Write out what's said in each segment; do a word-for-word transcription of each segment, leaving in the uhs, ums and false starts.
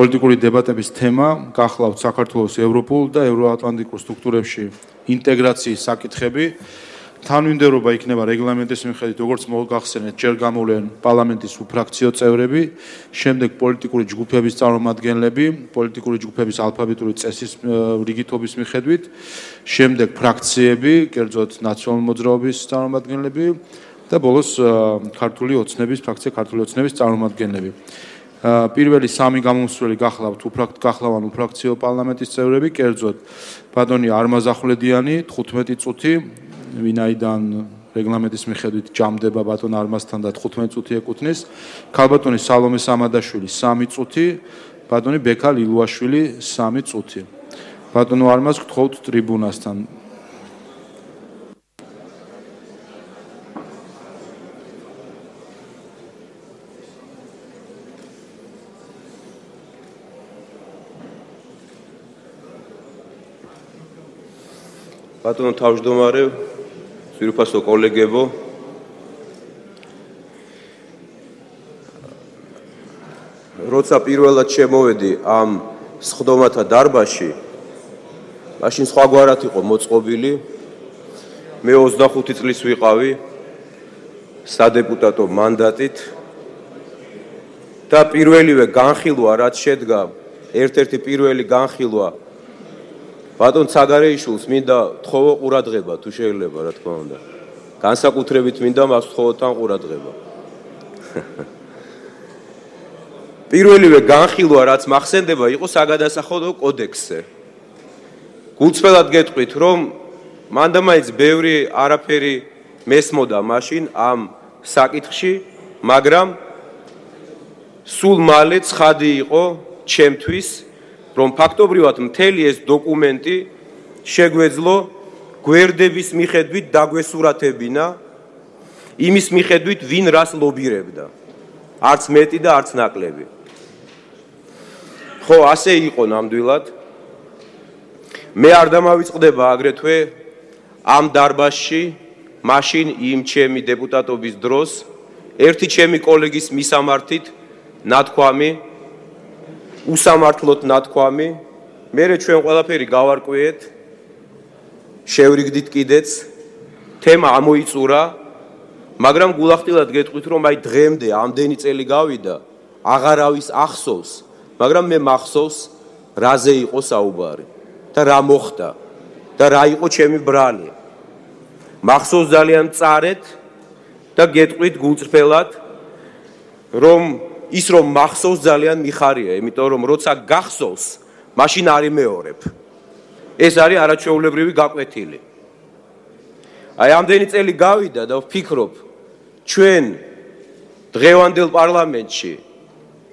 პოლიტიკური დებატების თემა გახლავთ საქართველოს ევროპულ და ევროატლანტიკურ სტრუქტურებში ინტეგრაციის საკითხები. თანმიმდევრობა იქნება რეგლამენტის მიხედვით, როგორც მოგახსენეთ, ჯერ გამოვლენ პარლამენტის უფრაქციო წევრები, შემდეგ პოლიტიკური ჯგუფების წარმომადგენლები, პოლიტიკური ჯგუფების ალფაბეტური წესის რიგითობის მიხედვით, შემდეგ ფრაქციები, კერძოდ ნაციონალური მოძრაობის წარმომადგენლები და ბოლოს ქართული ოცნების ფრაქცია ქართული ოცნების წარმომადგენლები. პირველი სამი გამომსვლელი გახლავთ გახლავან უფრაქციო პარლამენტის წევრები, კერძოდ ბატონი არმაზახვლედიანი თხუთმეტი წუთი, ვინაიდან რეგლამენტის მიხედვით ჯამდება ბატონ არმაზთან და თხუთმეტი წუთი ეკუთვნის, ქალბატონი სალომე სამადაშვილი სამი წუთი, ბატონი ბექა ლილუაშვილი სამი წუთი. ბატონო არმაზ გთხოვთ ტრიბუნასთან. ბატონო თავმჯდომარე, ძვირფასო კოლეგებო, როცა პირველად შემოვედი ამ სხდომათა დარბაზში, მაშინ სხვაგვარად იყო მოწყობილი. მე ოცდახუთი წლის ვიყავი სადეპუტატო მანდატით და პირველივე განხილვა, რაც შედგა, ერთ-ერთი პირველი განხილვა ბატონ ცაგარეიშვილს მინდა თხოვო ყურადღება, თუ შეიძლება, რა თქმა უნდა. განსაკუთრებით მინდა მას თხოვო თან ყურადღება. პირველივე განხილვა, რაც მახსენდება, იყო საგადასახადო კოდექსზე. გულწრფელად გეტყვით, რომ მანდა მაინც ბევრი არაფერი მესმოდა მაშინ ამ საკითხში, მაგრამ სულ მალე ცხადი იყო ჩემთვის, რომ ფაქტობრივად მთელი ეს დოკუმენტი შეგვეძლო გვერდების მიხედვით დაგვესურათებინა იმის მიხედვით, ვინ რას ლობირებდა. არც მეტი და არც ნაკლები. ხო, ასე იყო ნამდვილად. მე არ დამავიწყდება აგრეთვე ამ დარბაზში, მაშინ იმ ჩემი დეპუტატობის დროს, ერთი ჩემი კოლეგის მისამართით ნათქვამი, უსამართლოდ ნათქვამი, მერე ჩვენ ყველაფერი გავარკვიეთ, შევრიგდით კიდეც, თემა ამოიწურა, მაგრამ გულახდილად გეტყვით, რომ აი დღემდე ამდენი წელი გავიდა, აღარავის ახსოვს, მაგრამ მე მახსოვს, რაზე იყო საუბარი და რა მოხდა და რა იყო ჩემი ბრალი. მახსოვს ძალიან მწარედ და გეტყვით გულწრფელად, რომ ის რომ მახსოვს ძალიან მიხარია, იმიტომ რომ როცა გახსოვს, მაშინ არ იმეორებ. ეს არის არაჩვეულებრივი გაკვეთილი. აი ამდენი წელი გავიდა და ვფიქრობ, ჩვენ დღევანდელ პარლამენტში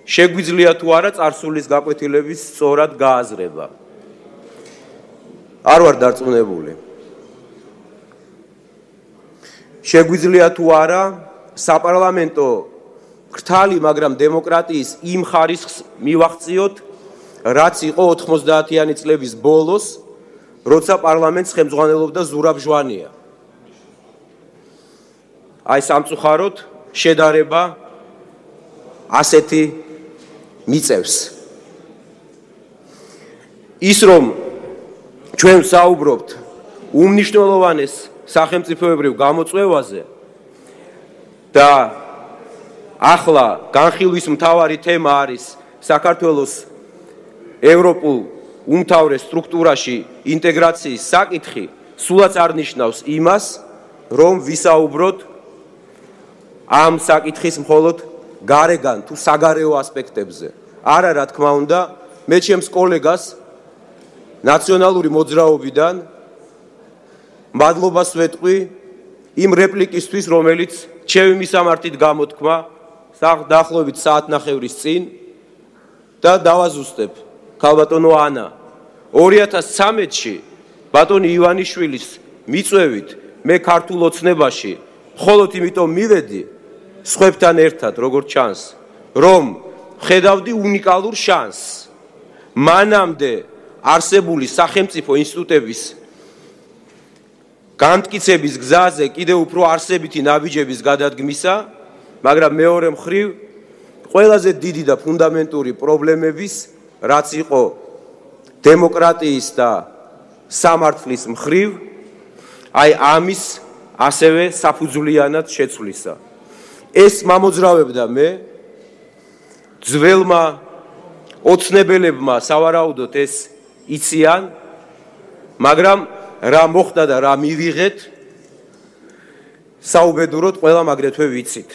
შეგვიძლია თუ არა წარსულის გაკვეთილების სწორად გააზრება. არ ვარ დარწმუნებული. შეგვიძლია თუ არა საპარლამენტო ხრთალი, მაგრამ დემოკრატიის იმ ხარისხს მივახციოთ, რაც იყო ოთხმოცდაათიანი წლების ბოლოს, როცა პარლამენტს ხელმძღვანელობდა ზურაბ ჟვანია. აი სამწუხაროდ შედარება ასეთი მიწევს. ის რომ ჩვენ საუბრობთ უმნიშვნელოვანეს სახელმწიფოებრივ გამოწვევაზე და ახლა განხილვის მთავარი თემა არის საქართველოს ევროპულ უმთავრეს სტრუქტურაში ინტეგრაციის საკითხი, სულაც არ ნიშნავს იმას, რომ ვისაუბროთ ამ საკითხის მხოლოდ გარეგან თუ საგარეო ასპექტებზე. არა, რა თქმა უნდა, მე ჩემს კოლეგას ნაციონალური მოძრაობიდან მადლობას ვეტყვი იმ რეპლიკისთვის, რომელიც ჩემი მისამართით გამოთქმა დაახლოებით საათნახევრის წინ და დავაზუსტებ. ქალბატონო ანა, ორი ათას ცხრამეტში ბატონი ივანიშვილის მიწვევით მე ქართულ ოცნებაში მხოლოდ იმიტომ მივედი სხვებთან ერთად, როგორც ჩანს, რომ ხედავდი უნიკალურ შანსს. მანამდე არსებული სახელმწიფო ინსტიტუტების განმტკიცების გზაზე კიდევ უფრო არსებითი ნაბიჯების გადადგმისა, მაგრამ მეორე მხრივ ყველაზე დიდი და ფუნდამენტური პრობლემების რაც იყო დემოკრატიის და სამართლის მხრივ, აი ამის ასევე საფუძვლიანად შეცვლისა. ეს მამოძრავებდა მე ძველმა ოცნებელებმა სავარაუდოდ ეს იციან, მაგრამ რა მოხდა და რა მივიღეთ, საუბედუროდ ყველამ აგრეთვე ვიცით.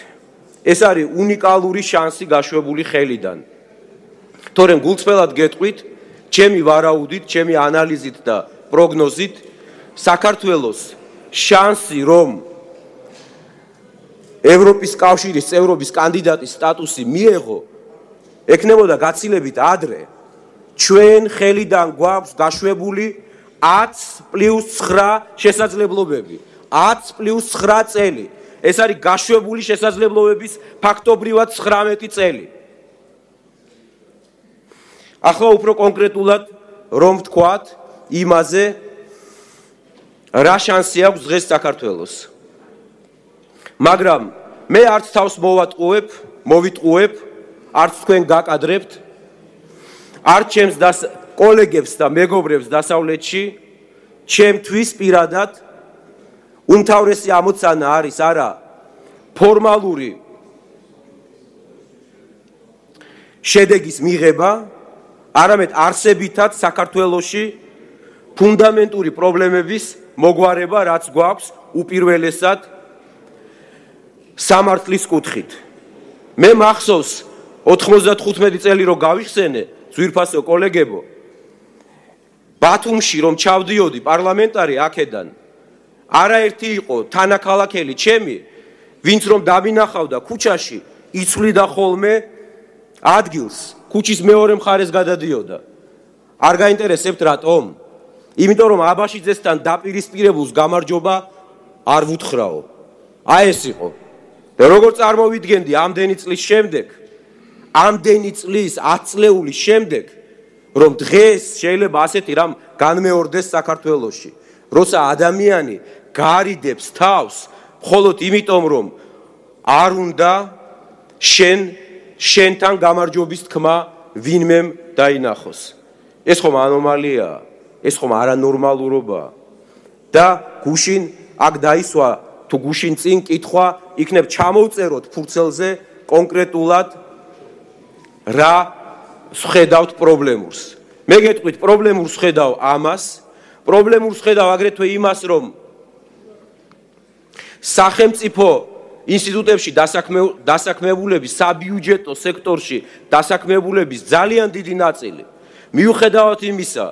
ეს არის უნიკალური შანსი გაშვებული ხელიდან. თორემ გულწრფელად გეტყვით, ჩემი ვარაუდით, ჩემი ანალიზით და პროგნოზით, საქართველოს შანსი, რომ ევროპის კავშირის წევრობის კანდიდატის სტატუსი მიეღო, ექნებოდა გაცილებით ადრე. ჩვენ ხელიდან გვაქვს გაშვებული ათს პლუს ცხრა შესაძლებლობები. ათს პლუს ცხრა წელი. ეს არის გაშვებული შესაძლებლობების ფაქტობრივად ცხრამეტი წელი. ახლა უფრო კონკრეტულად რომ ვთქვათ იმაზე, რა შანსი აქვს დღეს საქართველოს. მაგრამ მე არც თავს მოვატყუებ, მოვიტყუებ, არც თქვენ გაკადრებთ, არც ჩემს კოლეგებს და მეგობრებს დასავლეთში, ჩემთვის პირადად უმთავრესი ამოცანა არის არა ფორმალური შედეგის მიღება, არამედ არსებითად საქართველოში ფუნდამენტური პრობლემების მოგვარება, რაც გვაქვს უპირველესად სამართლის კუთხით. მე მახსოვს ოთხმოცდათხუთმეტი წელი რო გავიხსენე, ძვირფასო კოლეგებო, ბათუმში რომ ჩავდიოდი პარლამენტარი აქედან, არაერთი იყო თანაქალაქელი ჩემი, ვინც რომ დამინახავდა ქუჩაში, იცვლიდა ხოლმე ადგილს, ქუჩის მეორე მხარეს გადადიოდა. არ გაინტერესებთ რატომ? იმიტომ რომ აბაშიძესთან დაპირისპირებულს გამარჯობა არ ვუთხრაო. აი ეს იყო. და როგორ წარმოვიდგენდი ამდენი წლის შემდეგ, ამდენი წლის ათწლეულის შემდეგ, რომ დღეს შეიძლება ასეთი რამ განმეორდეს საქართველოში, როცა ადამიანი გარიდებს თავს მხოლოდ იმიტომ, რომ არ უნდა შენ შენთან გამარჯვების თქმა ვინმემ დაინახოს. ეს ხომ ანომალიაა, ეს ხომ არანორმალურობაა. და გუშინ აქ დაისვა თუ გუშინ წინ კითხვა იქნებ ჩამოვწეროთ ფურცელზე კონკრეტულად რა ხედავთ პრობლემურს. მე გეტყვით პრობლემურს ხედავ ამას, პრობლემურს ხედავ აგრეთვე იმას, რომ სახელმწიფო ინსტიტუტებში დასაქმებულების საბიუჯეტო სექტორში დასაქმებულების ძალიან დიდი ნაწილი მიუხედავად იმისა,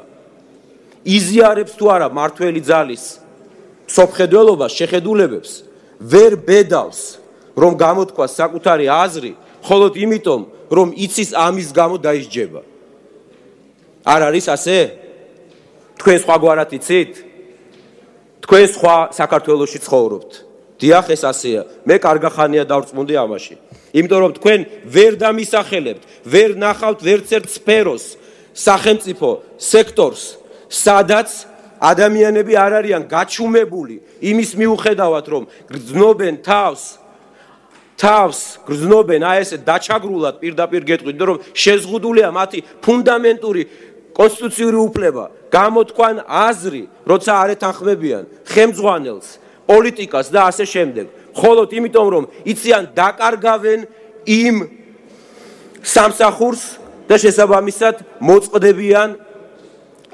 იზიარებს თუ არა მართველი ძალის სოფხედველობას, შეხედულებებს, ვერ ბედავს, რომ გამოთქვას საკუთარი აზრი, მხოლოდ იმიტომ, რომ იცის ამის გამო დაისჯება. არ არის ასე? თქვენ სხვაგვარად იცით? თქვენ სხვა საქართველოში ცხოვრობთ. დიახ, ეს ასეა. მე კარგახანია დავრწმუნდი ამაში. იმიტომ რომ თქვენ ვერ დამისახელებთ, ვერ ნახავთ ვერც ერთ სფეროს, სახელმწიფო სექტორს, სადაც ადამიანები არ არიან გაჩუმებული იმის მიუხედავად, რომ გრძნობენ თავს, თავს გრძნობენ აი ესე დაჩაგრულად პირდაპირ გეტყვით, რომ შეზღუდულია მათი ფუნდამენტური კონსტიტუციური უფლება, გამოთქვან აზრი, როცა არ ეთანხმებიან ხელმძღვანელს, პოლიტიკას და ასე შემდეგ. მხოლოდ იმიტომ, რომ იციან დაკარგავენ იმ სამსახურს და შესაბამისად მოწყდებიან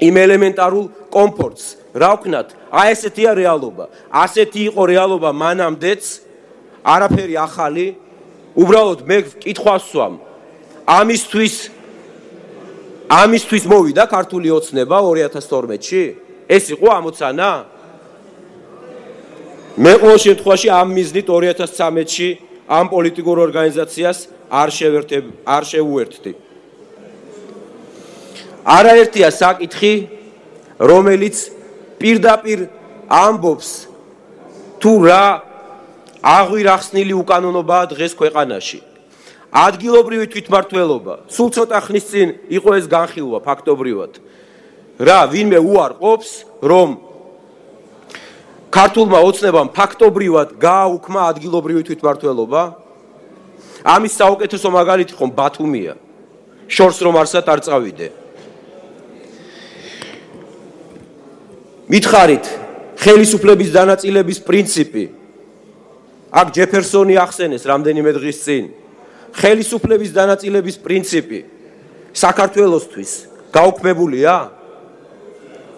იმ ელემენტარულ კომფორტს. რა ვქნათ? აი ესეთია რეალობა. ასეთი იყო რეალობა მანამდეც, არაფერი ახალი. უბრალოდ მე კითხვას ვსვამ. ამისთვის ამისთვის მოვიდა ქართული ოცნება ორი ათას თორმეტში? ეს იყო ამოცანა? მე ყოველ შემთხვევაში ამ მიზნით ორი ათას ცხრამეტში ამ პოლიტიკურ ორგანიზაციას არ შევერთებ, არ შევუერთდი. არაერთია საკითხი, რომელიც პირდაპირ ამბობს თუ რა აღვირახსნილი უკანონობაა დღეს ქვეყანაში. ადგილობრივი თვითმმართველობა, სულ ცოტა ხნის წინ იყო ეს განხილვა ფაქტობრივად. რა ვინმე უარყოფს, რომ ქართულმა ოცნებამ ფაქტობრივად გააუქმა ადგილობრივი თვითმმართველობა? ამის საუკეთესო მაგალითი ხომ ბათუმია. შორს რომ არსად არ წავიდე. მითხარით, ხელისუფლების დანაწილების პრინციპი. აქ ჯეფერსონი ახსენეს რამდენიმე დღის წინ. ხელისუფლების დანაწილების პრინციპი საქართველოსთვის გაუქმებულია?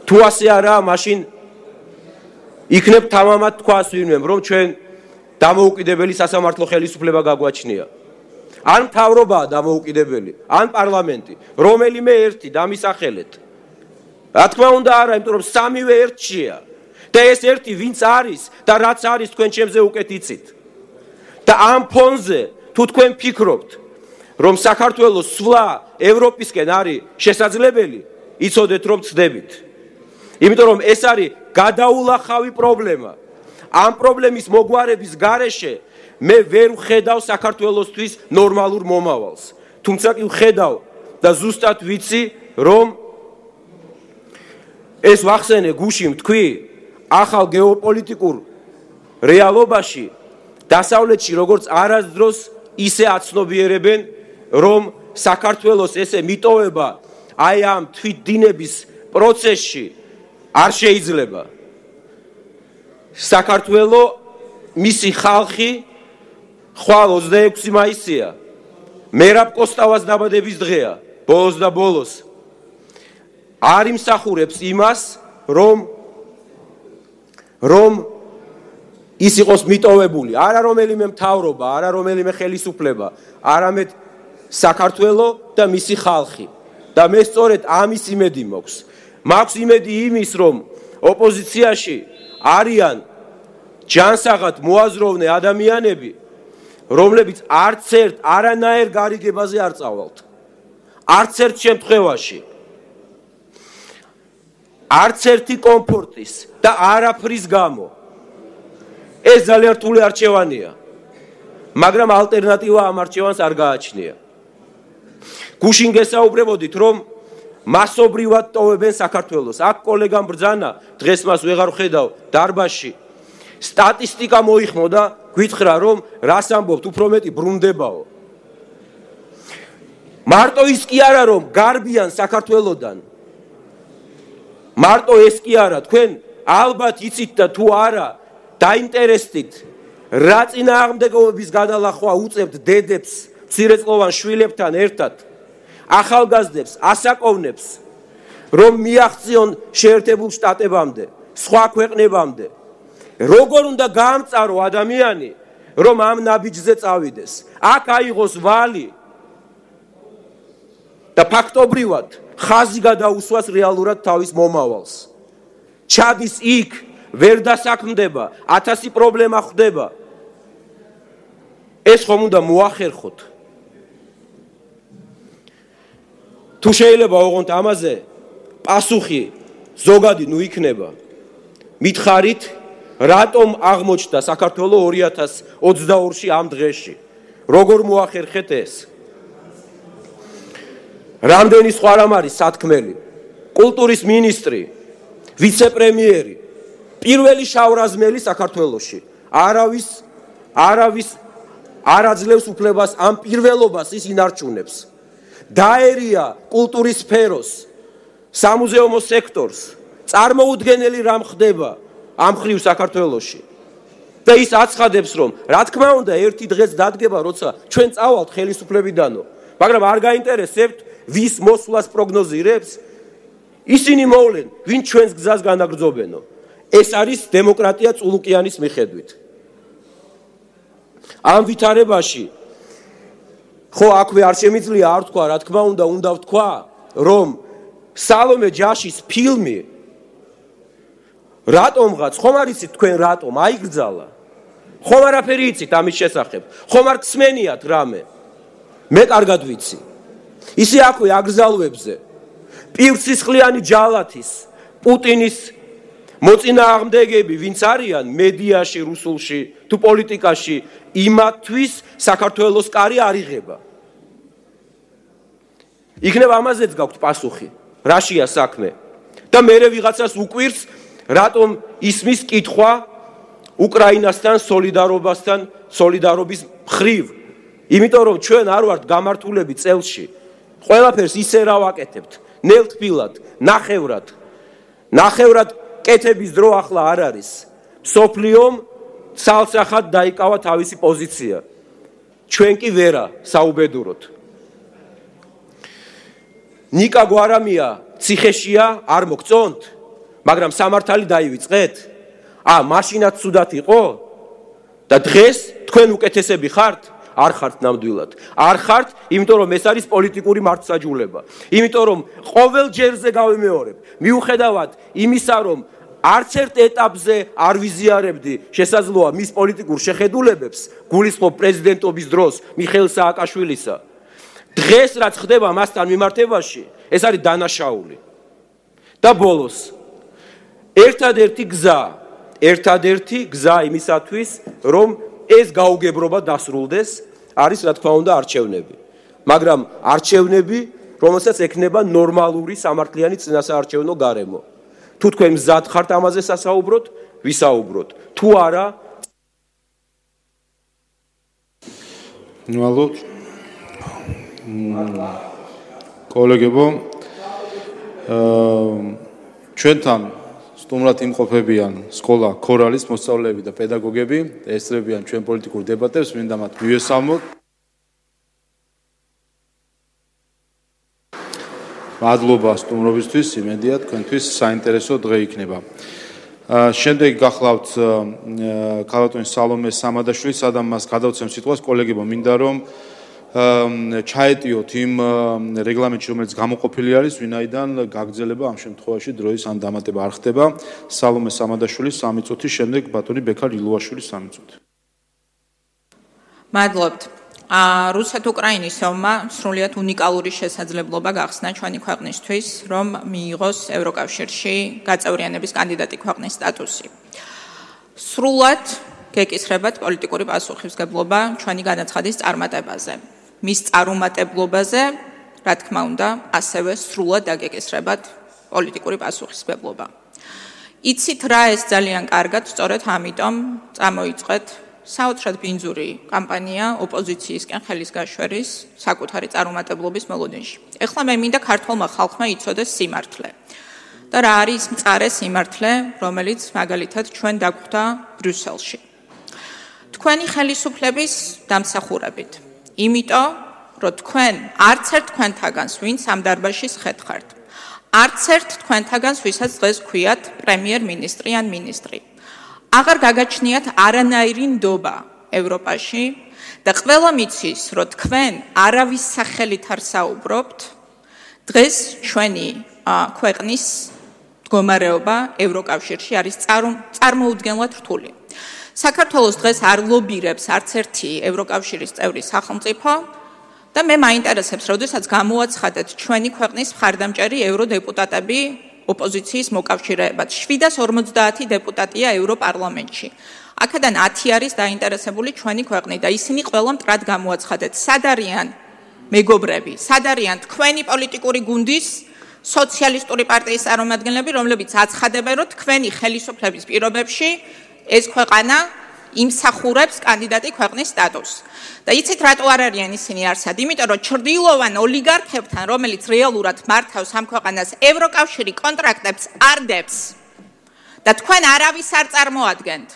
თუ ასე არაა, მაშინ იქნებ თამამად თქვას ვინმემ, რომ ჩვენ დამოუკიდებელი სასამართლო ხელისუფლება გაგვაჩნია. ან მთავრობაა დამოუკიდებელი, ან პარლამენტი, რომელიმე ერთი დამისახელეთ. რა თქმა უნდა არა, იმიტომ რომ სამივე ერთშია. და ეს ერთი ვინც არის და რაც არის თქვენ ჩემზე უკეთ იცით. და ამ ფონზე თუ თქვენ ფიქრობთ, რომ საქართველოს სვლა ევროპისკენ არის შესაძლებელი, იცოდეთ რომ ცდებით. იმიტომ რომ ეს არის გადაულახავი პრობლემა. ამ პრობლემის მოგვარების გარეშე მე ვერ ვხედავ საქართველოსთვის ნორმალურ მომავალს. თუმცა კი ვხედავ და ზუსტად ვიცი, რომ ეს ვახსენე გუშინ თქვი, ახალ გეოპოლიტიკურ რეალობაში დასავლეთში როგორც არასდროს ისე აცნობიერებენ, რომ საქართველოს ესე მიტოვება აი ამ თვითდინების პროცესში არ შეიძლება. საქართველო მისი ხალხი ხვალ ოცდაექვსი მაისია. მერაბ კოსტავას დაბადების დღეა, ბოლოს და ბოლოს. არ იმსახურებს იმას, რომ რომ ის იყოს მიტოვებული, არა რომელიმე მთავრობა, არა რომელიმე ხელისუფლება, არამედ საქართველო და მისი ხალხი. და მე სწორედ ამის იმედი მაქვს. მაქვს იმედი იმის, რომ ოპოზიციაში არიან ჯანსაღად მოაზროვნე ადამიანები, რომლებიც არც ერთ არანაირ გარიგებაზე არ წავალთ. არც ერთ შემთხვევაში. არც ერთი კომფორტის და არაფრის გამო. ეს ძალიან რთული არჩევანია. მაგრამ ალტერნატივა ამ არჩევანს არ გააჩნია. გუშინ გესაუბრებოდით, რომ მასობრივად ტოვებენ საქართველოს. აქ კოლეგამ ბრძანა, დღეს მას ვეღარ ვხედავ დარბაზში. სტატისტიკა მოიხმოდა, გვითხრა, რომ რას ამბობთ, უფრო მეტი ბრუნდებაო. მარტო ის კი არა, რომ გარბიან საქართველოდან. მარტო ეს კი არა, თქვენ ალბათ იცით და თუ არა, დაინტერესდით, რა წინააღმდეგობების გადალახვა უწევთ დედებს, მცირეწლოვან შვილებთან ერთად, ახალგაზრდებს, ასაკოვნებს, რომ მიაღწიონ შეერთებულ შტატებამდე, სხვა ქვეყნებამდე. როგორ უნდა გაამწარო ადამიანი, რომ ამ ნაბიჯზე წავიდეს? აქ აიღოს ვალი და ფაქტობრივად ხაზი გადაუსვას რეალურად თავის მომავალს. ჩადის იქ, ვერ დასაქმდება, ათასი პრობლემა ხვდება. ეს ხომ უნდა მოახერხოთ. თუ შეიძლება ოღონდ ამაზე პასუხი ზოგადი ნუ იქნება. მითხარით, რატომ აღმოჩნდა საქართველო ორი ათას ოცდაორში ამ დღეში? როგორ მოახერხეთ ეს? რამდენი სხვა რამ არის სათქმელი? კულტურის მინისტრი, ვიცე-პრემიერი, პირველი შავრაზმელი საქართველოში. არავის არავის არ აძლევს უფლებას ამ პირველობას ის ინარჩუნებს. დაერია კულტურის სფეროს, სამუზეუმო სექტორს, წარმოუდგენელი რამ ხდება ამ ხრივ საქართველოში. და ის აცხადებს, რომ რა თქმა უნდა ერთი დღეს დადგება, როცა ჩვენ წავალთ ხელისუფლებიდანო, მაგრამ არ გაინტერესებთ ვის მოსვლას პროგნოზირებს, ისინი მოვლენ, ვინ ჩვენს გზას განაგრძობენო. ეს არის დემოკრატია წულუკიანის მიხედვით. ამ ვითარებაში ხო აქვე არ შემიძლია არ თქვა, რა თქმა უნდა, უნდა ვთქვა, რომ სალომე ჯაშის ფილმი რატომღაც, ხომ არ იცით თქვენ რატომ აიგრძალა? ხომ არაფერი იცით ამის შესახებ? ხომ არ გსმენიათ რამე? მე კარგად ვიცი. ისე აქვე აგრძალვებზე პირსისხლიანი ჯალათის, პუტინის მოწინააღმდეგები, ვინც არიან მედიაში, რუსულში, თუ პოლიტიკაში, იმათთვის საქართველოს კარი არ იღება. იქნებ ამაზეც გაქვთ პასუხი, რაშია საქმე. და მერე ვიღაცას უკვირს, რატომ ისმის კითხვა უკრაინასთან სოლიდარობასთან, სოლიდარობის მხრივ. იმიტომ რომ ჩვენ არ ვართ გამართულები წელში, ყველაფერს ისე რა ვაკეთებთ, ნელთბილად, ნახევრად. ნახევრად კეთების დრო ახლა არ არის. სოფლიომ ცალსახად დაიკავა თავისი პოზიცია. ჩვენ კი ვერა საუბედუროთ. ნიკა გვარამია ციხეშია, არ მოგწონთ, მაგრამ სამართალი დაივიწყეთ. ა, მაშინაც ცუდად იყო და დღეს თქვენ უკეთესები ხართ? არ ხართ ნამდვილად. არ ხართ, იმიტომ რომ ეს არის პოლიტიკური მართლმსაჯულება. იმიტომ რომ ყოველ ჯერზე გავიმეორებ, მიუხედავად იმისა, რომ არც ერთ ეტაპზე არ ვიზიარებდი შესაძლოა მის პოლიტიკურ შეხედულებებს, გულისხმობ პრეზიდენტობის დროს მიხეილ სააკაშვილისა. დღეს რაც ხდება მასთან მიმართებაში, ეს არის დანაშაული. და ბოლოს, ერთადერთი გზა, ერთადერთი გზა იმისათვის, რომ ეს გაუგებრობა დასრულდეს, არის რა თქმა უნდა არჩევნები. მაგრამ არჩევნები, რომელსაც ექნება ნორმალური სამართლიანი წინასაარჩევნო გარემო. თუ თქვენ მზად ხართ ამაზე სასაუბროთ, ვისაუბროთ. თუ არა, ნუალოთ კოლეგებო, ჩვენთან სტუმრად იმყოფებიან სკოლა ქორალის მოსწავლეები და პედაგოგები, ესწრებიან ჩვენ პოლიტიკურ დებატებს, მინდა მათ მივესალმოთ. მადლობა სტუმრობისთვის, იმედია თქვენთვის საინტერესო დღე იქნება. შემდეგ გახლავთ ქალბატონი სალომე სამადაშვილი, სადამ მას გადავცემ სიტყვას, კოლეგებო, მინდა რომ ჩაეტიოთ იმ რეგლამენტში, რომელიც გამოყოფილი არის, ვინაიდან გაგრძელება ამ შემთხვევაში დროის ან დამატება არ ხდება. სალომე სამადაშვილი სამი წუთი, შემდეგ ბატონი ბექარ ილუაშვილი სამი წუთი. მადლობთ. რუსეთ-უკრაინის ომმა სრულიად უნიკალური შესაძლებლობა გახსნა ჩვენი ქვეყნისთვის, რომ მიიღოს ევროკავშირში გაწევრიანების კანდიდატი ქვეყნის სტატუსი. სრულად გეკისრებათ პოლიტიკური პასუხისმგებლობა ჩვენი განაცხადის წარმატებაზე. მის წარუმატებლობაზე, რა თქმა უნდა, ასევე სრულად დაგეკისრებათ პოლიტიკური პასუხისმგებლობა. იცით რა ეს ძალიან კარგად, სწორედ ამიტომ წამოიწყეთ საოცრად ბინძური კამპანია ოპოზიციისკენ ხელის გაშვერის საკუთარი წარუმატებლობის მოლოდინში. ეხლა მე მინდა ქართულმა ხალხმა იცოდეს სიმართლე. და რა არის მწარე სიმართლე, რომელიც მაგალითად ჩვენ დაგვხვდა ბრიუსელში. თქვენი ხელისუფლების დამსახურებით. იმიტომ, რომ თქვენ არც ერთ თქვენთაგანს, ვინც ამ დარბაზში შეხართ, არც ერთ თქვენთაგანს, ვისაც დღეს ქვიათ პრემიერ-მინისტრი ან მინისტრი. აღარ გაგაჩნიათ არანაირი ნდობა ევროპაში და ყველა მიცის, რომ თქვენ არავის სახელით არ საუბრობთ, დღეს ჩვენი ქვეყნის მდგომარეობა ევროკავშირში არის წარმოუდგენლად რთული. საქართველოს დღეს არ ლობირებს არც ერთი ევროკავშირის წევრი სახელმწიფო და მე მაინტერესებს, როდესაც გამოაცხადეთ ჩვენი ქვეყნის მხარდამჭერი ევროდეპუტატები ოპოზიციის მოკავშირეებად. შვიდას ორმოცდაათი დეპუტატია ევროპარლამენტში. აქედან ათი არის დაინტერესებული ჩვენი ქვეყნით და ისინი ყველა მტრად გამოაცხადეთ. სად არიან მეგობრები, სად არიან თქვენი პოლიტიკური გუნდის სოციალისტური პარტიის წარმომადგენლები, რომლებიც აცხადებენ, რომ თქვენი ხელისუფლების პირობებში ეს ქვეყანა იმსახურებს კანდიდატი ქვეყნის სტატუსს. და იცით რატო არ არიან ისინი არსად? იმიტომ რომ ჩრდილოვან ოლიგარქებთან, რომელიც რეალურად მართავს ამ ქვეყანას, ევროკავშირი კონტრაქტებს არ დებს. და თქვენ არავის არ წარმოადგენთ.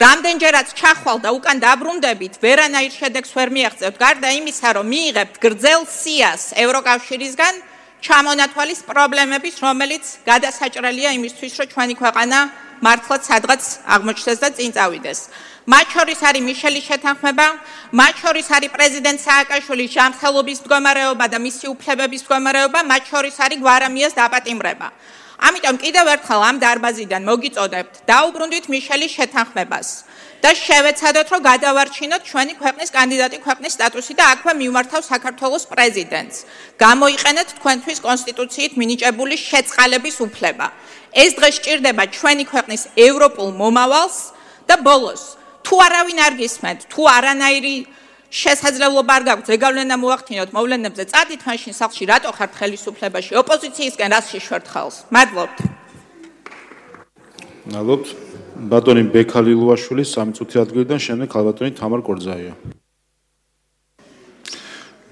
რამდენჯერაც ჩახვალ და უკან დაბრუნდებით, ვერანაირ შედეგს ვერ მიაღწევთ, გარდა იმისა, რომ მიიღებთ გრძელ სიას ევროკავშირისგან, ჩამონათვალის პრობლემების, რომელიც გადასაჭრელია იმისთვის, რომ ჩვენი ქვეყანა მართლაც სადღაც აღმოჩნდეს და წინ წავიდეს. მათ შორის არის მიშელის შეთანხმება, მათ შორის არის პრეზიდენტ სააკაშვილის ჯანმრთელობის მდგომარეობა და მისი უფლებების მდგომარეობა, მათ შორის არის გვარამიას დაპატიმრება. ამიტომ კიდევ ერთხელ ამ დარბაზიდან მოგიწოდებთ, დაუბრუნდით მიშელის შეთანხმებას და შევეცადოთ, რომ გადავარჩინოთ ჩვენი ქვეყნის კანდიდატი ქვეყნის სტატუსი და აქვე მივმართავ საქართველოს პრეზიდენტს. გამოიყენეთ თქვენთვის კონსტიტუციით მინიჭებული შეწყალების უფლება. ეს დღე სჭირდება ჩვენი ქვეყნის ევროპულ მომავალს და ბოლოს თუ არავინ არ გისმენთ, თუ არანაირი შესაძლებლობა არ გაქვთ ზეგავლენა მოახდინოთ მოვლენებზე, წადით მაშინ სახლში, რატო ხართ ხელისუფლებაში, ოპოზიციისკენ რას შეშვერთ ხალხს? მადლობთ. მადლობთ. ბატონი ბექალი ლუაშვილი სამი წუთი ადგილიდან, შემდეგ ქალბატონი თამარ კორძაია.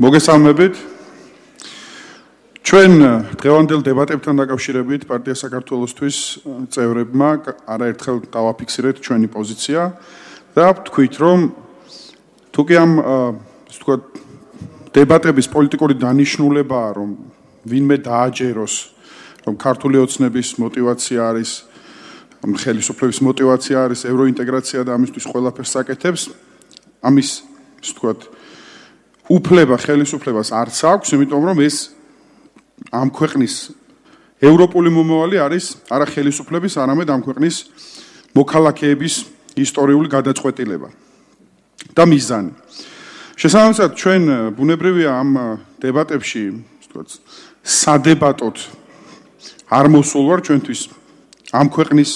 მოგესალმებით. ჩვენ დღევანდელ დებატებთან დაკავშირებით პარტია საქართველოსთვის წევრებმა არაერთხელ დავაფიქსირეთ ჩვენი პოზიცია და ვთქვით, რომ თუკი ამ ასე ვთქვათ დებატების პოლიტიკური დანიშნულებაა, რომ ვინმე დააჯეროს, რომ ქართული ოცნების მოტივაცია არის, ხელისუფლების მოტივაცია არის ევროინტეგრაცია და ამისთვის ყველაფერს აკეთებს, ამის ასე ვთქვათ უფლება ხელისუფლებას არც აქვს, იმიტომ რომ ეს ამ ქვეყნის ევროპული მომავალი არის არა ხელისუფლების, არამედ ამ ქვეყნის მოქალაქეების ისტორიული გადაწყვეტილება და მიზანი. შესაბამისად, ჩვენ ბუნებრივია ამ დებატებში, ასე ვთქვათ, სადებატოდ არ მოსულ ვარ ჩვენთვის ამ ქვეყნის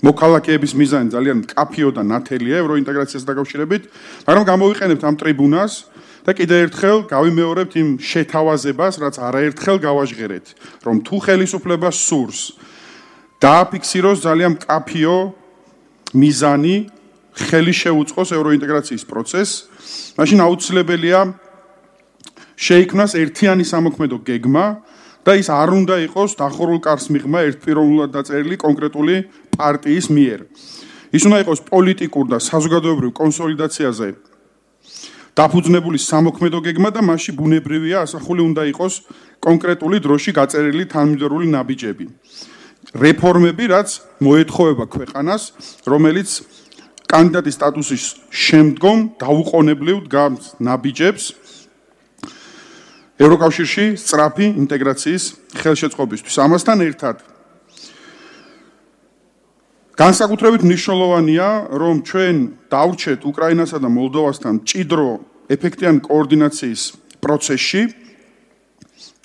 მოქალაქეების მიზანი ძალიან მკაფიო და ნათელია ევროინტეგრაციას დაკავშირებით, მაგრამ გამოვიყენებთ ამ ტრიბუნას და კიდევ ერთხელ გავიმეორებთ იმ შეთავაზებას, რაც არაერთხელ გავაჟღერეთ, რომ თუ ხელისუფლებას სურს დააფიქსიროს ძალიან მკაფიო მიზანი, ხელი შეუწყოს ევროინტეგრაციის პროცესს, მაშინ აუცილებელია შეიქმნას ერთიანი სამოქმედო გეგმა და ის არ უნდა იყოს დახურულ კარს მიღმა ერთპიროვნულად დაწერილი კონკრეტული პარტიის მიერ. ის უნდა იყოს პოლიტიკურ და საზოგადოებრივ კონსოლიდაციაზე დაფუძნებული სამოქმედო გეგმა და მასში ბუნებრივია ასახული უნდა იყოს კონკრეტული დროში გაწერილი თანმიმდევრული ნაბიჯები. რეფორმები, რაც მოეთხოვება ქვეყანას, რომელიც კანდიდატის სტატუსის შემდგომ დაუყოვნებლივ დგამს ნაბიჯებს ევროკავშირში სწრაფი ინტეგრაციის ხელშეწყობისთვის. ამასთან ერთად განსაკუთრებით მნიშვნელოვანია, რომ ჩვენ დავრჩეთ უკრაინასა და მოლდოვასთან მჭიდრო ეფექტიანი კოორდინაციის პროცესში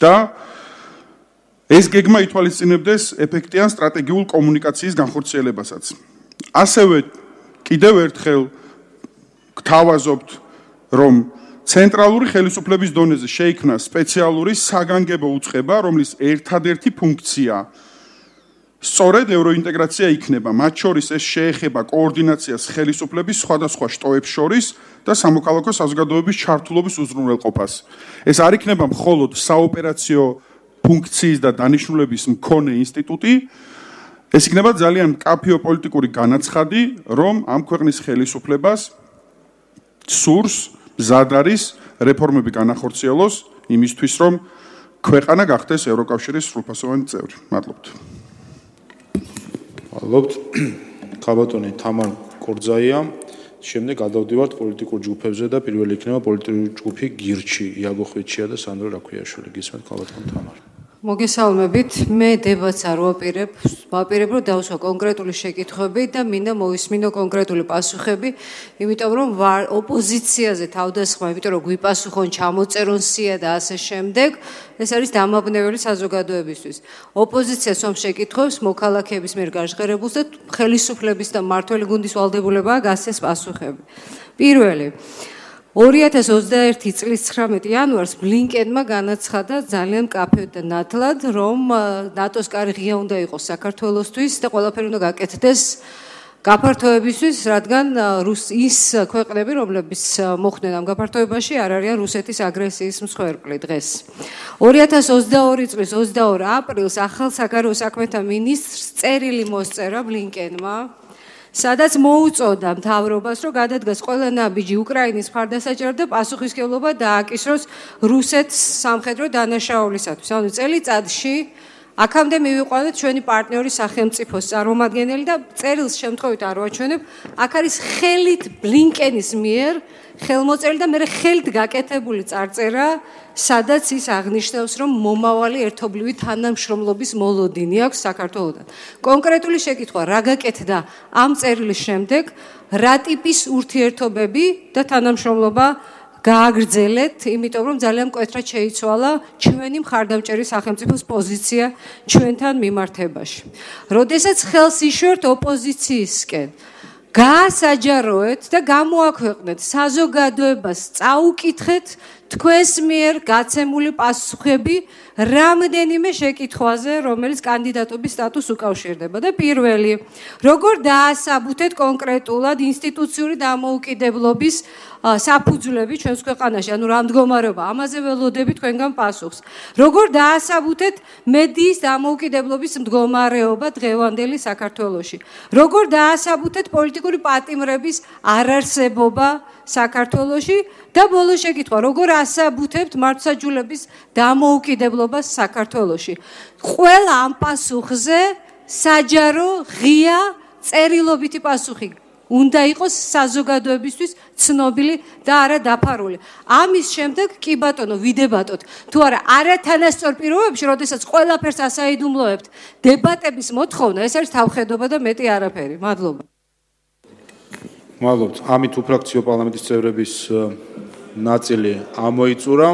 და ეს გეგმა ითვალისწინებდეს ეფექტიან სტრატეგიულ კომუნიკაციის განხორციელებასაც. ასევე კიდევ ერთხელ გთავაზობთ, რომ ცენტრალური ხელისუფლების დონეზე შეიქმნა სპეციალური საგანგებო უწყება, რომლის ერთადერთი ფუნქცია სწორედ ევროინტეგრაცია იქნება, მათ შორის ეს შეეხება კოორდინაციას ხელისუფლების სხვადასხვა შტოებს შორის და სამოქალაქო საზოგადოების ჩართულობის უზრუნველყოფას. ეს არ იქნება მხოლოდ საოპერაციო ფუნქციის და დანიშნულების მქონე ინსტიტუტი, ეს იქნება ძალიან მკაფიო პოლიტიკური განაცხადი, რომ ამ ქვეყნის ხელისუფლებას სურს მზად არის რეფორმები განახორციელოს იმისთვის, რომ ქვეყანა გახდეს ევროკავშირის სრულფასოვანი წევრი. მადლობთ. მადლობთ. ქაბატონი თამარ კორძაია. შემდეგ გადავდივართ პოლიტიკურ ჯგუფებზე და პირველი იქნება პოლიტიკური ჯგუფი გირჩი, იაგო ხვიჩია და სანდრო რაქვიაშვილი. გისმენთ ქაბატონ თამარ. მოგესალმებით. მე დებატს არ ვაპირებ, ვაპირებ რომ დავსვა კონკრეტული შეკითხვები და მინდა მოვისმინო კონკრეტული პასუხები, იმიტომ რომ ოპოზიციაზე თავდასხმა, იმიტომ რომ გვიპასუხონ, ჩამოწერონ სია და ასე შემდეგ, ეს არის დამაბნეველი საზოგადოებისთვის. ოპოზიციას რომ შეკითხვებს მოქალაქეების მიერ გაჟღერებულს და ხელისუფლების და მმართველი გუნდის ვალდებულებაა გასცეს პასუხები. პირველი ორი ათას ოცდაერთი წლის ცხრამეტი იანვარს ბლინკენმა განაცხადა ძალიან მკაფიოდ და ნათლად, რომ ნატოს კარი ღია უნდა იყოს საქართველოსთვის და ყველაფერი უნდა გაკეთდეს გაფართოებისთვის, რადგან ის ქვეყნები, რომლებიც მოხვდნენ ამ გაფართოებაში, არ არიან რუსეთის აგრესიის მსხვერპლი დღეს. ორი ათას ოცდაორი წლის ოცდაორ აპრილს ახალ საგარეო საქმეთა მინისტრს წერილი მოსწერა ბლინკენმა, სადაც მოუწოდა მთავრობას, რომ გადადგას ყველა ნაბიჯი უკრაინის მხარდასაჭერად და პასუხისმგებლობა დააკისროს რუსეთს სამხედრო დანაშაულისათვის. ანუ წელიწადში აქამდე მივიყვანეთ ჩვენი პარტნიორი სახელმწიფოს წარმომადგენელი და წერილს შემთხვევით არ ვაჩვენებ, აქ არის ხელით ბლინკენის მიერ ხელმოწერილი და მერე ხელით გაკეთებული წარწერა, სადაც ის აღნიშნავს, რომ მომავალი ერთობლივი თანამშრომლობის მოლოდინი აქვს საქართველოსთან. კონკრეტული შეკითხვა, რა გაკეთდა ამ წერილის შემდეგ, რა ტიპის ურთიერთობები და თანამშრომლობა გააგრძელეთ, იმიტომ რომ ძალიან მკვეთრად შეიცვალა ჩვენი მხარდამჭერი სახელმწიფოს პოზიცია ჩვენთან მიმართებაში. როდესაც ხელს იშვერთ ოპოზიციისკენ, გაასაჯაროეთ და გამოაქვეყნეთ საზოგადოებას, წაუკითხეთ თქვენს მიერ გაცემული პასუხები რამდენიმე შეკითხვაზე, რომელიც კანდიდატობის სტატუსს უკავშირდება და პირველი, როგორ დაასაბუთეთ კონკრეტულად ინსტიტუციური დამოუკიდებლობის საფუძვლები ჩვენს ქვეყანაში, ანუ რა მდგომარეობა, ამაზე ველოდები თქვენგან პასუხს. როგორ დაასაბუთეთ მედიის დამოუკიდებლობის მდგომარეობა დღევანდელი საქართველოში. როგორ დაასაბუთეთ პოლიტიკური პატიმრების არარსებობა საქართველოში და ბოლო შეკითხვა, როგორ ასაბუთებთ მართლმსაჯულების დამოუკიდებლობას საქართველოში. ყველა ამ პასუხზე საჯარო, ღია, წერილობითი პასუხი უნდა იყოს საზოგადოებისთვის ცნობილი და არა დაფარული. ამის შემდეგ კი ბატონო ვიდებატოთ. თუ არა არათანასწორ პირობებში, როდესაც ყველაფერს ასაიდუმლოებთ, დებატების მოთხოვნა, ეს არის თავხედობა და მეტი არაფერი. მადლობა. მადლობთ. ამით უფრაქციო პარლამენტის წევრების ნაწილი ამოიწურა.